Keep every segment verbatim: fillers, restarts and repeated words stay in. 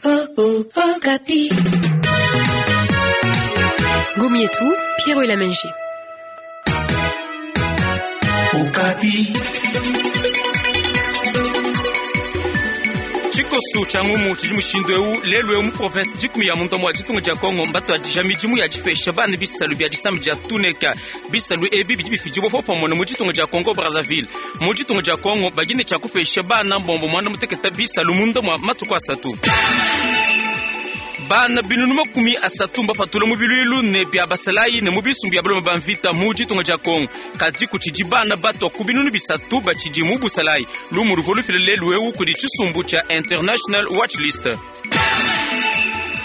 Okapi. Gomietu, Pierre Elamenji. Okapi. Tshikosu tshia ngumu tshidi mushindu eu lelu eu mu province dikumi ya munda mua ditunga dia Kongo mbatuadija midimu ya dipesha bana bisalu bia disambi dia tuneka. Bisalu ebi bidi bifidibua popamue mu ditunga dia Kongo Brazzaville. Mu ditunga dia Kongo bagine tshia kupesha bana mbombo muanda muteketa bisalu munda mua matuku asatu. Bana binunu makumi asatu mbapatula mu biluilu ne bia basalayi ne mu bisumbu bia balume ba mvita mu ditunga dia Kongo. Kadi kutshidi bana batwa ku binunu bisatu batshidi mu busalayi. Lumu luvua lufila lelu eu kudi tshisumbu tshia International Watch List.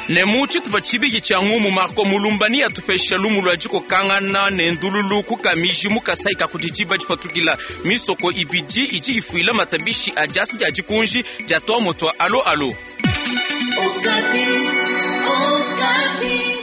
Ne mu tshitupa tshibidi tshia ngumu Marco Mulumbani atupesha lumu lua dikokangana ne ndululu ku Kamiji mu Kasai ka kudi diba dipatukila. Misoko ibidi idi ifuila matabishi a diasa dia dikunji dia tuamua tua alo alo. Okapi. Okapi.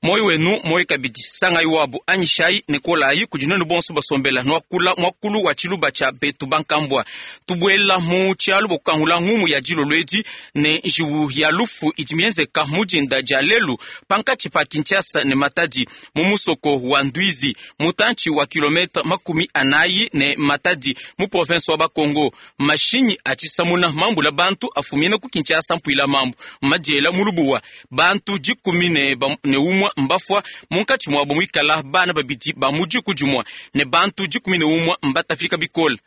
Moyo wenu moyo kabidi sangai wabu anyishai ne kolayi kudi nwenu bonso basombela nwakula mwakulu wa tshiluba tshia betu bankambua tubuela mu tshialu bokukangula ngumu ya dilolo edi ne njiwu ya lufu idi mienzeka mu dinda dia lelu pankatshi pa Kinshasa ne Matadi mu musoko wa Ndwizi mutantshi wa kilometre makumi anayi ne Matadi mu province wa Bakongo. Mashinyi a tshisamuna mambula bantu afumina ku Kinshasa mpuila mambu madiela mu lubuwa bantu dikumi ne, ne umua mbafua munkatshi muabo muikala bana babidi ba mu diku dimue ne bantu dikumi ne umue mbatapika bikole.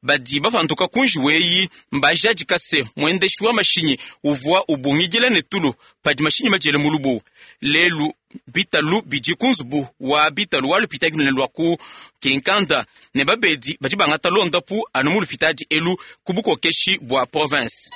Badi bapanduka kunji weyi mbajadika se muendeshi wa mashinyi uvua ubungidila ne tulu padi mashinyi madiele mu lubuwa. Lelu bitalu bidi ku nzubu wa bitalu wa lupitadi lunene lua ku Kinkanda ne babedi badi bangata londapu anu mu lupitadi elu ku bukokeshi bua province.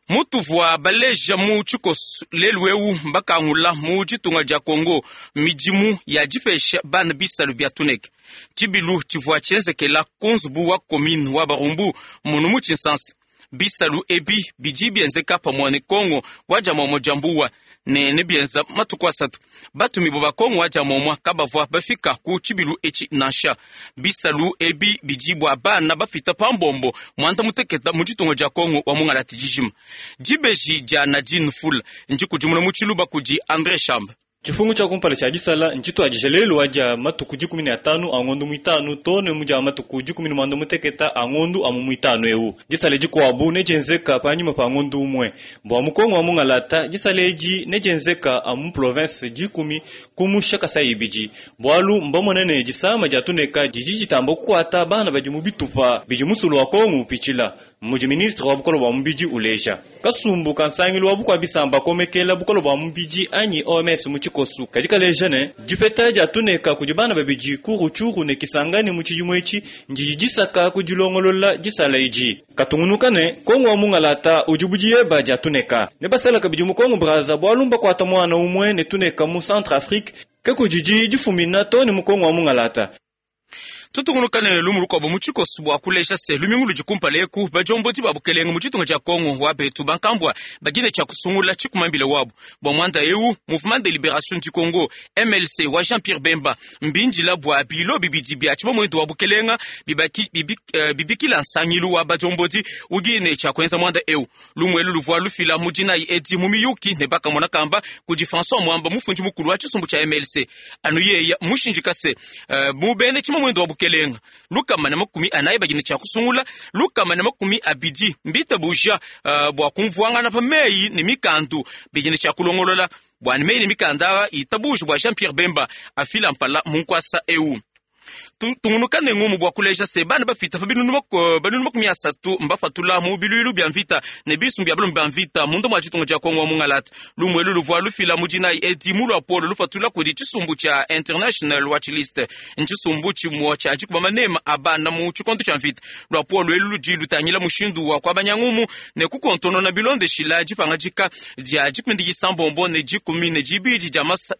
Mutuvua baleja mu tshikosu lelu eu mbakangula mu ditunga dia Kongo midimu ya dipesha bana bisalu bia tuneke. Tshibilu tshivua tshienzekela ku nzubu wa commune wa Barumbu munu mu Tshinsansa. Bisalu ebi bidi bienzeka pamue ne Kongo wa dia muamua dia mbuwa ne ne bienza matuku asatu. Batumibue ba Kongo wa dia muamua kabavua bafika ku tshibilu etshi nansha. Bisalu ebi bidi bua bana bapita pa mbombo muanda muteketa mu ditunga dia Kongo wa mungalati dijima. Dibeji dia Nadine Fula ndikudimuna mu tshiluba kudi André Chamba. Tshifungu tshia kumpala tshia disala ntshituadija lelu wa dia matuku dikumi ne atanu a ngondu muitanu to ne mu dia matuku dikumi ne muanda muteketa a ngondu amu muitanu eu. Disala dikuabu nedienzeka panyima pa ngondu umue. Bua mu Kongo wa mungalata disala edi nedienzeka amu province dikumi kumusha Kasai ibidi. Bualu mbamone ne disama dia tuneka didi ditamba kukuata bana badi mu bitupa bidi musulu wa Kongo upitshila. Mudi ministre wa bukolo bua mubidi uleja kasumbu ka nsangilu wa bukua bisamba komekela bukolo bua mubidi anyi O M S mu tshikosu kadi kaleja ne dipeta dia tuneka kudi bana babidi ku Rutshuru ne Kisangani mu tshidimu etshi ndidi disaka ku dilongolola disala edi. Katungunuka ne Kongo wa mungalata udi budieba dia tuneka ne basala kabidi mu Kongo Brazza bualu mbakuata muana umue ne tuneka mu Centre Afrique ke kudidi difumina to ne mu Kongo wa mungalata. Tutungunuka ne lumu lukuabu mu tshikosu bua kuleja se lumingu ludi kumpala eku badiombodi ba bukelenge mu ditunga dia Kongo wa betu bankambua bagine tshia kusungula tshikumambile wabu. Bua muanda eu Mouvement de Libération du Congo M L C wa Jean-Pierre Bemba mbindila bua bilo bibidi bia tshibamuendu wa bukelenga bibaki, bibi, uh, bibikila nsangilu wa badiombodi ugine tshia kuenza muanda eu. Lumu elu luvua lufila mu dinayi edi mu miyuki ne bakamona kamba kudi François Mwamba mufundi mukulu wa tshisumbu tshia M L C. Anu yeya mushindika se uh, mubene tshibamuendu wa bukelenga lukama na makumi anayi bagine tshia kusungula lukama na makumi abidi mbita buja uh, bua kumvuangana pa meyi ne mikandu bigine tshia kulongolola bua ne meyi ne mikanda itabuja bua Jean-Pierre Bemba afila mpala munkwasa eu. Tungunuka ne ngumu bua kuleja se bana bapita pa binunu binunu makumi asatu mbapatula mu biluilu bia mvita ne bisumbu bia balume ba mvita munda mua ditunga dia Kongo wa mungalata. Lumu elu luvua lufila mu dinayi edi mu luapolo lupatula kudi tshisumbu tshia International Watch List ntshisumbu tshimue tshia dikuba manema a bana mu tshikondo tshia mvita. Luapolo elu ludi lutangila mushindu wa kuabanya ngumu ne kukontonona bilondeshila dipangadika dia dikumi disambombo ne dikumi ne dibidi dia masa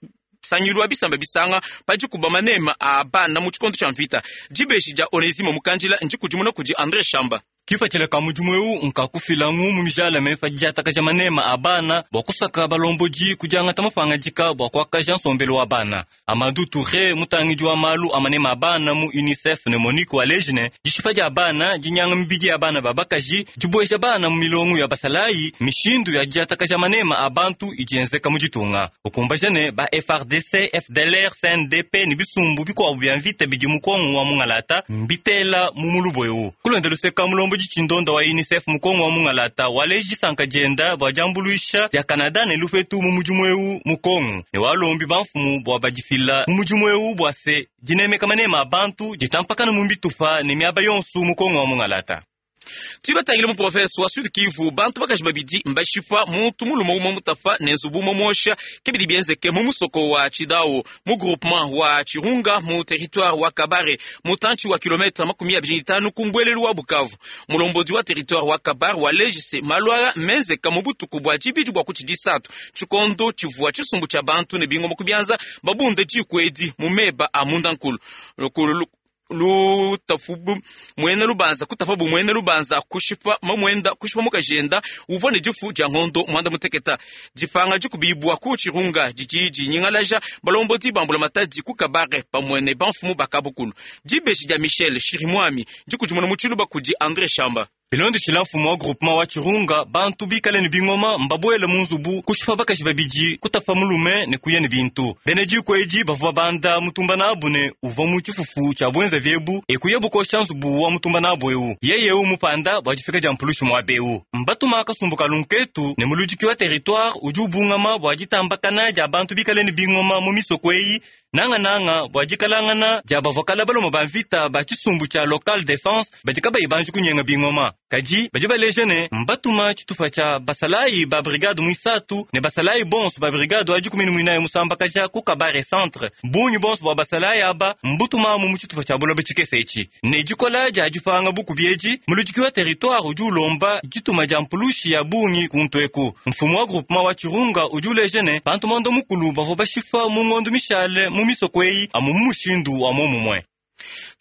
sangilu bisamba bisanga padikuba manema a bana mu tshikondo tshia mvita. Dibeji dia Onesime Mukandila ndikudimuna kudi André Chamba. Kipatshila ka mudimu eu nkakufila ngumu mijalame pa diatakaja manema a bana bua kusaka balombodi kudiangata mapangadika bua kuakaja nsombelu wa bana. Amadou Touré mutangidi wa malu a manema a bana mu UNICEF ne Monique Walejne dishipa dia bana dinyanga mibidi ya bana babakaji dibueja bana mu milongo ya basalayi mishindu ya diatakaja manema a bantu idienzeka mu ditunga ukumbaja ne ba F R D C F D L R C N D P ne bisumbu bikuabu bia mvita bidi mu Kongo wa mungalata mbitela mu mulubo eu kulonda luseka mulombo chindonda wa UNICEF mukongo wa mungalata waleji sanka jenda bwa jambuluisha ya Canada ne lufetu mu mudimu eu mu Kongo ne walombi bamfumu bwa badifila mu mudimu eu bwa se dinemeka manema a bantu ditampakana mu mbitupa ne miaba yonso mu Kongo wa mungalata. Tubatangile mu province wa Sud Kivu bantu bakaji babidi mbashipa muntu mulume umwe mutafa ne nzubu momosha kebidi bienzeke mu musoko wa Chidao mu groupement wa Chirunga mu territoire wa Kabare mutanchi wa kilomita makumi abiri n'itanu ku mbwelelu wa Bukavu. Mulombodi wa territoire wa Kabare wa lejise malwara menzeka mu butuku bwa jibidi bwa kuchidisatu chikondo chivua chisumbu cha bantu ne bingoma kubyanza babunde jikwedi mu meba a mundankulu lutafubu mwene lubanza kutafabu mwene lubanza kushipa mamwenda kushipa mukajenda uvone difu dia ngondo mwanda muteketa dipanga dikubibwa ku Chirunga didi nyingalaja balombodi bambula matadi ku Kabare pamwene banfumu bakabukulu dibeji dia Michel Shirimwami dikudimuna mutshiluba kudi André Shamba. Bilondo tshila mfumu wa groupement wa Chirunga bantu bikale ne bingoma mbabwele mu nzubu kushipa bakaji babidi kutafa mulume ne kuya ne bintu bene diko edi bavua banda mutumba nabu ne uvua mu tshifufu tshia bwenza vyebu ekuya bukosha nzubu wa mutumba nabu eu yeye eu mupanda bua difika dia mpulushi muabe eu mbatuma kasumbu kalunketu ne muludiki wa territoire udi ubungama bua ditambakana dia bantu bikale ne bingoma mu misoko eyi nanga nanga bua dikalangana dia bavua baloma ba mvita ba tshisumbu tshia local defense badi kabayi banji kunyenga bingoma kadi badi baleja ne mbatuma tshitupa tshia basalayi ba brigade muisatu ne basalayi bonso ba brigade wa dikumi ne muinayi musambakaja ku Kabare centre bungi bonso bua basalayi aba mbutuma mu tshitupa tshia buloba tshikese etshi ne dikola dia dipanga bukubi edi muludiki wa territoire udi ulomba dituma dia mpulushi ya bungi kuntu eku mfumu wa groupement wa Chirunga udi uleja ne bantu mondo mukulu bavua bashifa mu ngondo mishale mu misoko eyi amu mushindu wa momumwe.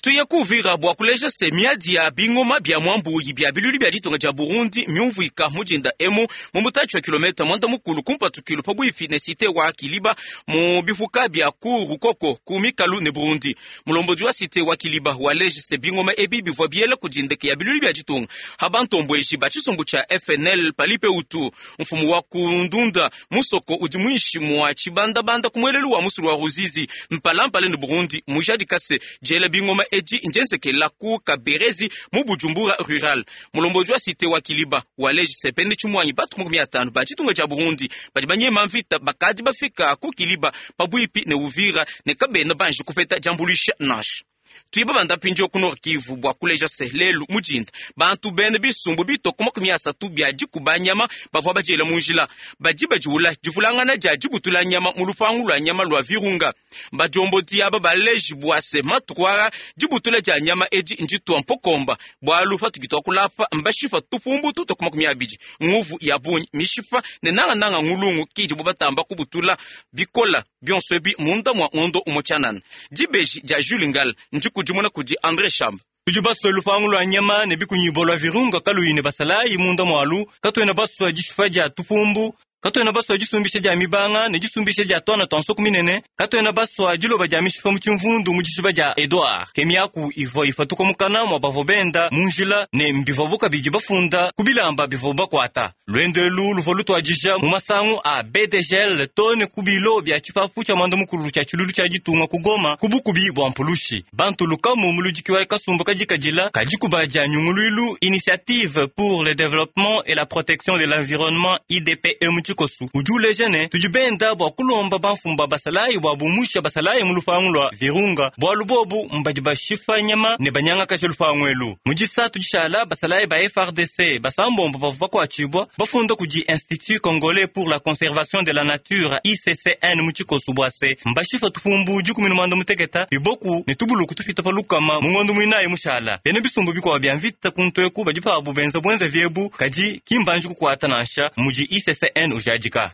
Tuye kuvira bua kuleja se miadi ya bingoma bya mwambuyi bya bilulu bya ditunga dia Burundi myumvuika mujinda emu mu mutachi wa kilomita mwanda mukulu kumpatukilo pabuifi ne site wa Kiliba mu bifuka bya ku Rukoko ku mikalu ne Burundi. Mulombodi wa site wa Kiliba waleje se bingoma ebi bivua biela kujindeke ya bilulu bya ditunga habantombweji ba tshisumbu tsha F N L palipe utu mfumu wa kundunda musoko udi mwishi mwa chibandabanda kumwelelu wa musulu wa Ruzizi mpalampale ne Burundi mujadi kase jela bingoma edi njenzekela ku Kaberezi mu Bujumbura rural. Mulombodi wa site wa Kiliba waleji sepende chimwanyi batu makumi atano ba chitunga cha Burundi badi banyema mvita bakadi bafika ku Kiliba pabuipi ne Uvira ne kabena banji kupeta jambulisha nash. Tuiba banda pinjo ku Nord Kivu bua kuleja se lelu mujinda bantu bene bisumbu bitoko makumi asatu bya dikuba nyama bavua badiela mu njila badi badiula divulangana dia dibutula nyama mu lupangu lua nyama lua Virunga badiombodi aba baleji bua se matukwara dibutula dia nyama edi nditua mpokomba bwalu patukitwa kulapa mbashipa tupumbu tutoko makumi abidi nguvu ya bunyi mishipa ne nangananga ngulungu kidi bo batamba kubutula bikola bionso ebi munda mwa ngondo umochanana dibeji dia Jules Ngal ndikudimuna kudi André Shamba. Tudi baswa lupangu lwa nyama ne bikunyibo lwa Virunga kaluyi basalayi munda mwalu katwena baswa dishipa dia tupumbu katwena baswa disumbisha dia mibanga ne disumbisha dia twana twa nsoko minene katwena baswa diloba dia mishipa mu tshimvundu mu dishipa dia Edouard kemiaku ivua ifatuka mukana mwa bavua benda mu njila ne mbivua bukabidi bafunda ku bilamba bivua bakwata lwendo elu luvua lutuadija mu masangu a B D G L tone ku bilo bia tshipapu tshia mwanda mukulu tshia tshilulu tshia ditunga ku Goma ku bukubi bua mpulushi bantu lukamu muludiki wa kasumbu kadikadila kadikuba dia nyunguluilu Initiative pour le développement et la protection de l'environnement I D P E mu tshikosu udi uleja ne tudi benda bua kulomba bamfumba basalayi bua bumusha basalayi mu lupangu lua Virunga bualu bobu mbadi bashipa nyama ne banyangakaja lupangu elu mu disatu dishala basalayi ba F R D C basambombo bavua bakuatshibua bafunda kudi Institut Congolais pour la Conservation de la Nature I C C N mu tshikosu bua se mbashipa tupumbu dikumi ne mwanda muteketa biboku ne tubuluku tupita pa lukama mu ngondo muinayi mushala bene bisumbu bikuabu bia mvita kuntu eku badi pabu benza bwenza vyebu kadi kimbanji kukuata nansha mudi I C C N ujadika.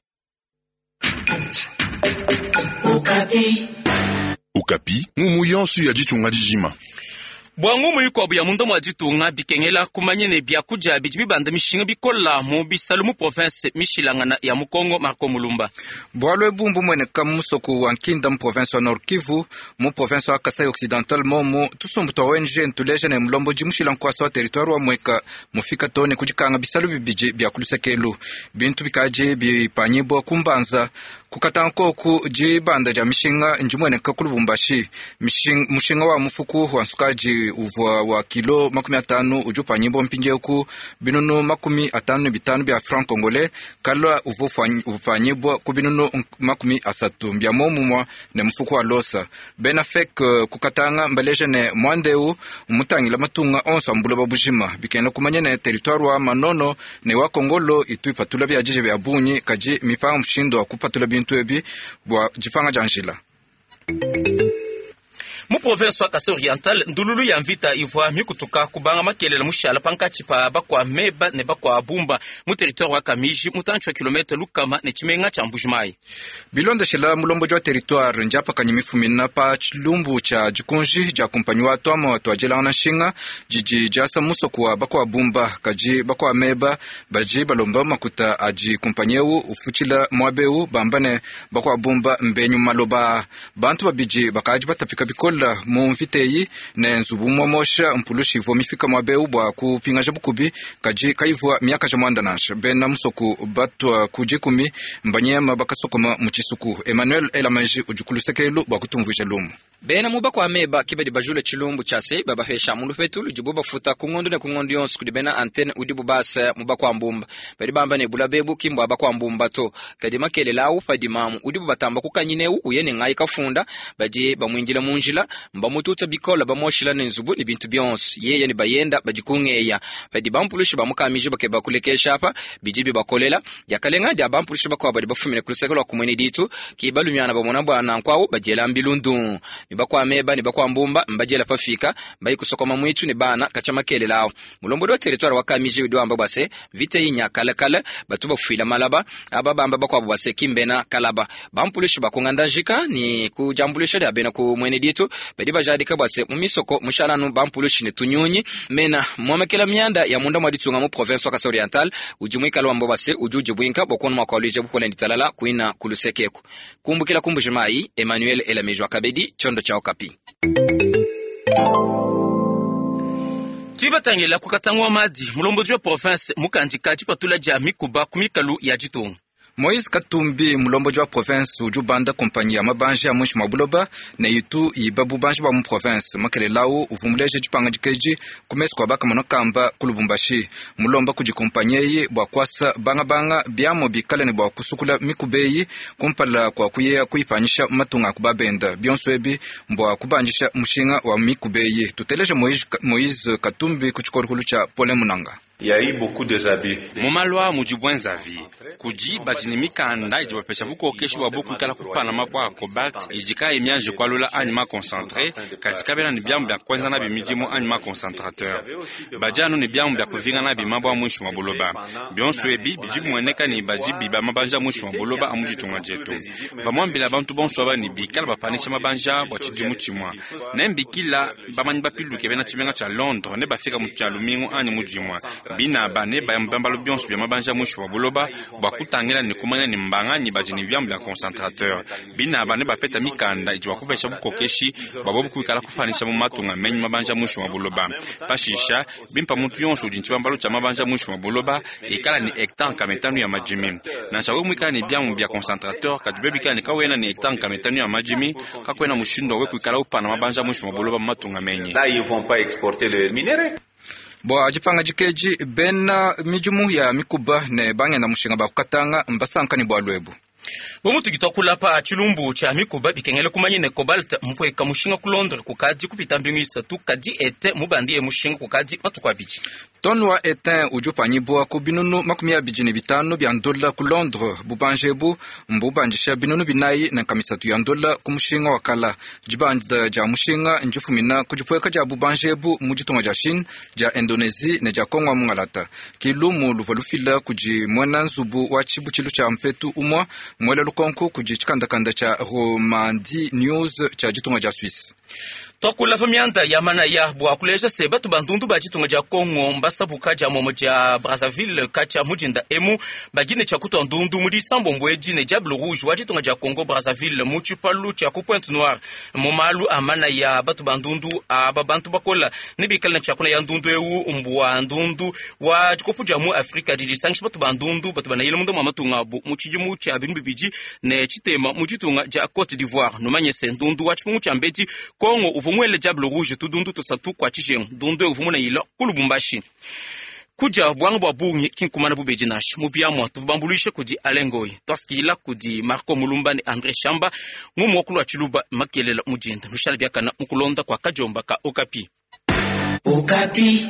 Okapi. Okapi, mumu yonso ya ditunga dijima. Bwa ngumu ikuabu ya munda mwa ditunga bikengela kumanya ne biakudia bidi bibanda mishinga bikola mu bisalu mu province mishilangana ya Mukongo. Marco Mulumba. Bwalo ebu mbumweneka mu musoko wa Nkinda mu province wa Nord Kivu, mu province wa Kasai Occidental momu tusumbu twa O N G ntuleja ne mulomboji mushila nkwasa wa territoire wa Mweka mufika tone kudikanga bisalu bibidi bya kulusekelu bintu bikaji bipanyibwa kumbanza kukatankoku dibanda dia mishinga ndimweneka ku Lubumbashi. Mushinga wa mufuku wa nsukaji uvua wa kilo makumi atanu udi upanyibwa mpindieku binunu makumi atanu ne bitanu bya franc congolais, kalwa uvua upanyibwa ku binunu makumi asatu mbya momumwa ne mufuku wa losa. Bena fek kukatanga mbaleja ne mwandeu mutangila matunga onso ambuloba bujima bikena kumanya ne territoire wa Manono ne wa Kongolo itu ipatula bya jije bya bunyi kaji mipanga mushindo wa kupatula bintu ebi bwa jipanga janjila. Mu province wa Kasai Oriental ndululu ya mvita ivwa mikutuka kubanga makelela mushala pankatshi pa bakwa meba ne bakwa bumba mu territoire wa Kamiji mutantshi wa kilomita lukama ne tshimenga tsha Mbujimayi. Bilondeshela mulomboji wa territoire njapakanya mifumina pa tshilumbu tsha dikunji dia kumpanyi wa twama twadjelangana nshinga didi diasa musoko wa bakwa bumba kaji bakwa meba baji balomba makuta adi kumpanyi eu ufutshila muaba eu bamba ne bakwa bumba mbenyu maloba. Bantu babidi bakaji batapika bikola mu mviteyi ne nzubu mwamosha mpulushi ivua mifika muaba eu bwa kupingaja bukubi kaji kaivua miaka ja mwanda nansha. Bena musoku batwa kudikumi mbanyema bakasokoma mu tshisuku. Emmanuel Elamanji udi ku lusekelu bwa kutumvuija lumu. Bena muba kwa meba kibadi bajule tshilumbu tshase babapesha mulupetu ludibu bafuta kungondu ne kungondu yonso kudi bena antenne udibu basa muba kwa mbumba badi bamba ne bula bebu kimbwa bakwa mbumba to kadi makelela awu padi mamu udibu batamba kukanyineu uye ne ngai kafunda badi bamwinjila munjila mbamututa bikola bamoshila ne nzubu ne bintu bionso yeye ne bayenda badi kungeya badi bampulushi bamukamije bakeba kulekesha apa bidi bibakolela yakalenga dia bampulushi bakwa badi bafumine kuluseke lwa kumwene ditu kibalumyana bamona bwana nkwawu badiela mbilundu bakwa meba ne bakwa mbumba mbajela pafika mbayi kusokoma mwitu ne bana kacha makelelawo mulombodi wa territoire wa Kamiji udi wamba bwase vite yinya kalakala batu bafuila malaba aba bamba bakwa bwase kimbena kalaba bampulushi bakunganda njika ni kujambulisha dia bena ku mwene ditu badi bajadika bwase mu misoko mushalanu bampulushi ne tunyunyi mena mwamekela myanda ya munda mwa ditunga mu province wa Kasai Oriental udi mwikala wamba bwase ujuji bwinka bokona mwakwalije bukola nditalala kuina kulusekeku kumbukila kumbujimayi Emmanuel Elamejwa Kabedi chondo cha Okapi. Tuibatangela kukatangwa madi mulomboji wa province mukandika tshipatula dia mikuba kumikalu ya ditunga. Moise Katumbi mulomboji wa province udi ubanda kompanyi ya mabanje ya muinshi mwa buloba ne itu iba bubanji bwa mu province makelelawu uvumuleje dipanga dikeji kumesi kua bakamona kamba ku Lubumbashi mulomba kudi kompanyi eyi bua kuasa bangabanga biamo bikale ne bua kusukula mikuba eyi kumpala kua kuyeya kuyipanyisha matunga aku babenda bionso ebi mbua kubandisha mushinga wa mikuba eyi. Tuteleje Moise Katumbi ku tshikolokolo tshia Paulin Munanga. Mumalwa mudi bwenzavi kudi badi ne mikanda idi bapesha bukokeshi bwa bukuikala kupana mabwa a cobalt idi kayi mianji kualula anyi maconcentré kadi kabena ne biamu bia kuenza nabi midimu anyi maconcentrateur badi anu ne biamu bia kuvinga nabi mabwa muinshi mwa buloba bionso ebi bidi bimueneka ne badi biba mabanja muinshi mwa buloba amu ditunga dietu bamuambila bantu bonso aba ne bikala bapanisha mabanja bua tshidimu tshimua ne mbikila bamanyi bapiluke bena tshimenga tshia Londres ne bafika mu tshia lumingu anyi mu dimua bina bane bayambambalo bionso bia mabanja muinshi mwa buloba bua kutangila ne kumanya ne mbanganyi badi ne biamu bia concentrateur bina bane bapeta mikanda idi bakupesha bukokeshi bua bobu kuikala kupanisha mu matunga menyi mabanja muinshi mwa buloba pashisha bimpa muntu yonso udi ntshibambalo tshia mabanja muinshi mwa buloba ikala ne hectare kametanu ya madimi nansha we muikala ne biamu bia concentrateur kadi be bikala ne kawena ne hectare kametanu ya madimi kakwena mushindo we kuikala upana mabanja muinshi mwa buloba mu matunga menyi. Là, ils vont pas exporter le minerai. Bwa dipanga dikeji bena midimu ya mikuba ne bangenda mushinga bakukatanga mbasankani bwa lwebu. Bomutu kitwakulapa tshilumbu tshia mikuba bikengele kumanya ne cobalt mupweka mushinga ku Londres kukadi kupita mbingu isatu kadi ete mubandi ye mushinga kukadi matuku abidi. Tonu wa etin udi upanyibwa ku binunu makumi abidi ne bitanu bia ndola ku Londres bubanje ebu mbubandisha binunu binayi ne nkamisatu ya ndola ku mushinga wa kala. Dibanda dia mushinga ndifumina ku dipweka dia bubanje ebu mu ditunga dia Chine, dia Indonesie ne dia Kongo mungalata. Kilumu luvua lufila kudi muena nzubu wa tshibutshilu tshia mpetu umua mwela lukonko kudi tshikandakanda tshia Romandi News tshia ditunga dia Suisse. Twakula pa mianda ya manaya bua kuleja se batu bandundu ba ditunga dia Congo mbasabuka dia momo dia Brazzaville katshia mudinda emu bagine tshia kutua ndundu mu disambo edi ne Diable Rouge wa ditunga dia Congo Brazzaville mu tshipalu tshia ku Pointe Noire. Mu malu a manaya batu bandundu aba bantu bakola ne bikale ne tshiakuna ya ndundu eu mbua ndundu wa dikopu dia mu Afrika didi disangisha batu bandundu batu banayila munda mua matunga abu mu tshidimu tshia bintu bibidi ne tshitema mu ditunga dia Cote d'Ivoire. Numanye se ndundu wa tshipungu tshia mbedi Congo uvua muele Diable Rouge tudundu tusatu kwa tshijengu ndundu uvua munayila ku Lubumbashi. Kudia bwanga bwa bungi kinkumana bubedi nasha mu biamwa tuvubambuluishe kudi Alengoi twasikila kudi Marco Mulumba ne André Shamba ngumu wa kulwa tshiluba makelela mudinda lushala biakana mukulonda kwa kajomba ka Okapi. Okapi.